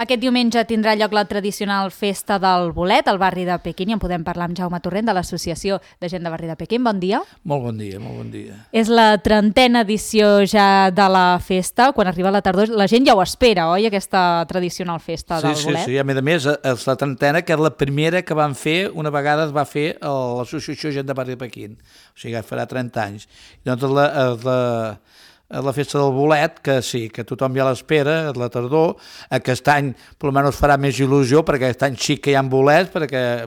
Aquest diumenge tindrà lloc la tradicional festa del bolet al barri de Pequín i en podem parlar amb Jaume Torrent de l'Associació de Gent de Barri de Pequín. Bon dia. Molt bon dia, molt bon dia. És la 30a edició ja de la festa. Quan arriba la tardor la gent ja ho espera, oi, aquesta tradicional festa del bolet? Sí, a més és la 30a, que és la primera que van fer, una vegada es va fer a l'Associació Gent de Barri de Pequín, o sigui, farà 30 anys. I doncs la festa del bolet, que sí, que tothom ja l'espera, la tardor. Aquest any, per almenys, farà més il·lusió, perquè aquest any sí que hi ha bolets, perquè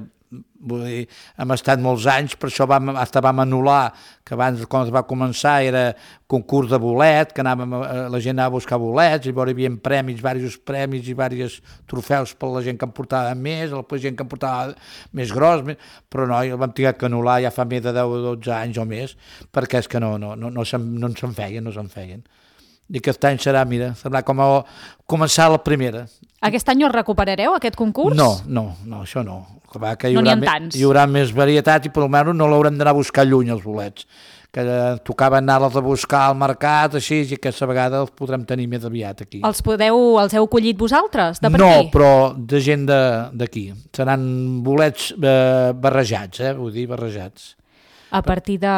vull dir, hem estat molts anys, per això vam anul·lar, que abans, quan es va començar, era concurs de bolet, que la gent anava a buscar bolets, i llavors hi havia premis, diversos premis i diversos trofeus per la gent que en portava més, la gent que en portava més gros, però no, el vam haver que anul·lar ja fa més de 10 o 12 anys o més, perquè és que no se'n feien. I aquest any serà com a començar la primera. Aquest any el recuperareu, aquest concurs? No, això no. Que no n'hi ha tants. Hi haurà més varietat i per almenys no l'haurem d'anar a buscar lluny, els bolets. Que tocava anar-los a buscar al mercat, així, i aquesta vegada els podrem tenir més aviat aquí. Els heu collit vosaltres, de per aquí? No, però de gent d'aquí. Seran bolets barrejats, vull dir, barrejats. A partir de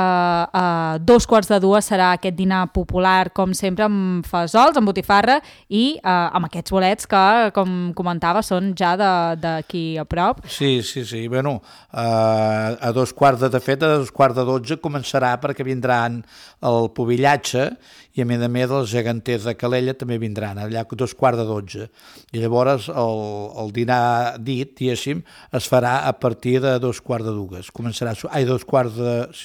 2:45 serà aquest dinar popular, com sempre, amb fesols, amb botifarra i amb aquests bolets que, com comentava, són ja d'aquí a prop. Sí. Bueno, a 2:15 començarà, perquè vindran el pobillatge i a més els geganters de Calella també vindran, allà a 2:15. I llavors el dinar dit, diguéssim, es farà a partir de 2:15. Començarà, 2:15. Sí,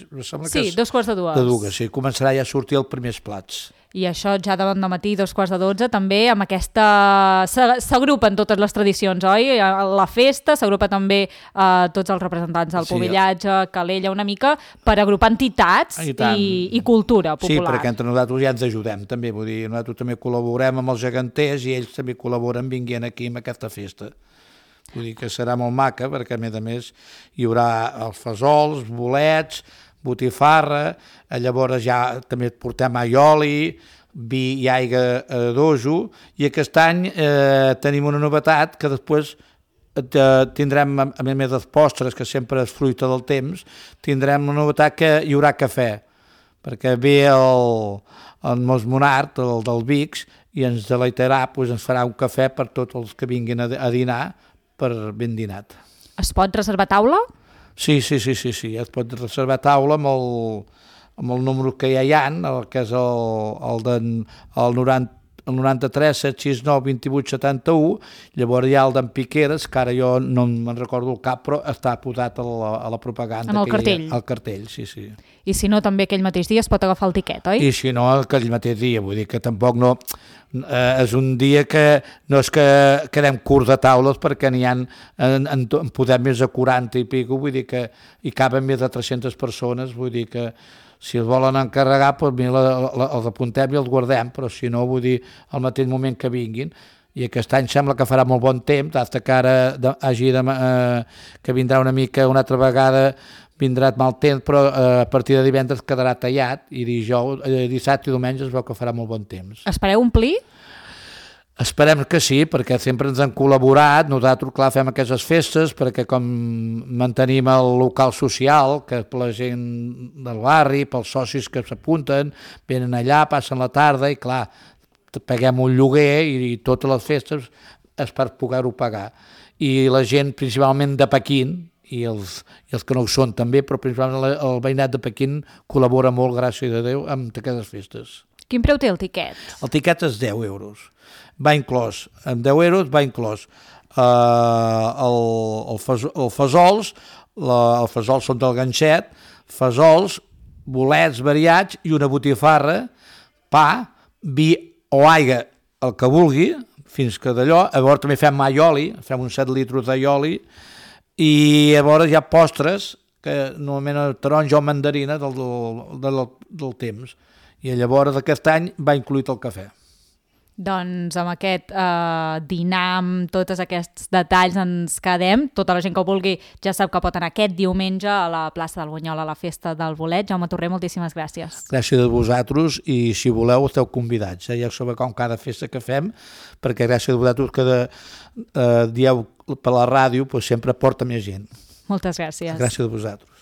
començarà ja a sortir els primers plats. I això ja de bon matí, 2:15, també amb aquesta... S'agrupen totes les tradicions, oi? La festa, s'agrupa també tots els representants del pobillatge, Calella, una mica, per agrupar entitats i cultura popular. Sí, perquè entre nosaltres ja ens ajudem, també. Vull dir, nosaltres també col·laborem amb els geganters i ells també col·laboren vinguent aquí amb aquesta festa. Vull dir que serà molt maca, perquè a més hi haurà els fesols, bolets, botifarra, llavors ja també portem aioli, vi i aigua d'ojo, i aquest any tenim una novetat que després tindrem, a més dels postres, que sempre és fruita del temps, tindrem una novetat que hi haurà cafè, perquè ve el Mosmonart, el del Vix, i ens deleitarà, ens farà un cafè per tots els que vinguin a dinar, per ben dinat. Es pot reservar taula? Sí, es pot reservar taula amb el número que ja hi ha, que és el 93 769 28 71, llavors hi ha el d'en Piqueres, que ara jo no me'n recordo el cap, però està posat a la propaganda. En el cartell. Al cartell, sí. I si no, també aquell mateix dia es pot agafar el tiquet, oi? I si no, aquell mateix dia, vull dir que tampoc no... és un dia que no és que quedem curts de taules, perquè n'hi ha, en podem més de 40 i pico, vull dir que hi caben més de 300 persones, vull dir que si els volen encarregar, doncs els apuntem i els guardem, però si no, vull dir, al mateix moment que vinguin. I aquest any sembla que farà molt bon temps, fins que ara que vindrà una mica una altra vegada, vindrà mal temps, però a partir de divendres quedarà tallat, i dissabte i diumenge es veu que farà molt bon temps. Espereu omplir? Esperem que sí, perquè sempre ens han col·laborat. Nosaltres, clar, fem aquestes festes perquè com mantenim el local social, que per la gent del barri, pels socis que s'apunten, venen allà, passen la tarda i, clar, paguem un lloguer i totes les festes és per poder-ho pagar. I la gent, principalment de Pequín, i els que no ho són també, però principalment el veïnat de Pequín col·labora molt, gràcies a Déu, amb aquestes festes. Quin preu té el tiquet? El tiquet és 10 euros. Va inclòs, amb 10 euros va inclòs el fesols, els fesols són del ganxet, fesols, bolets variats i una botifarra, pa, vi o aigua, el que vulgui, fins que d'allò. Llavors també fem aioli, fem uns 7 litres d'aioli, i llavors hi ha postres, que normalment el taronja o mandarina del temps. I llavors aquest any va incluït el cafè. Doncs amb aquest dinar, amb tots aquests detalls ens quedem. Tota la gent que ho vulgui ja sap que pot anar aquest diumenge a la plaça del Bunyol a la festa del bolet. Jaume Torrent, moltíssimes gràcies. Gràcies a vosaltres, i si voleu esteu convidats. Ja sabeu com cada festa que fem, perquè gràcies a vosaltres que dieu per la ràdio, doncs sempre porta més gent. Moltes gràcies. Gràcies a vosaltres.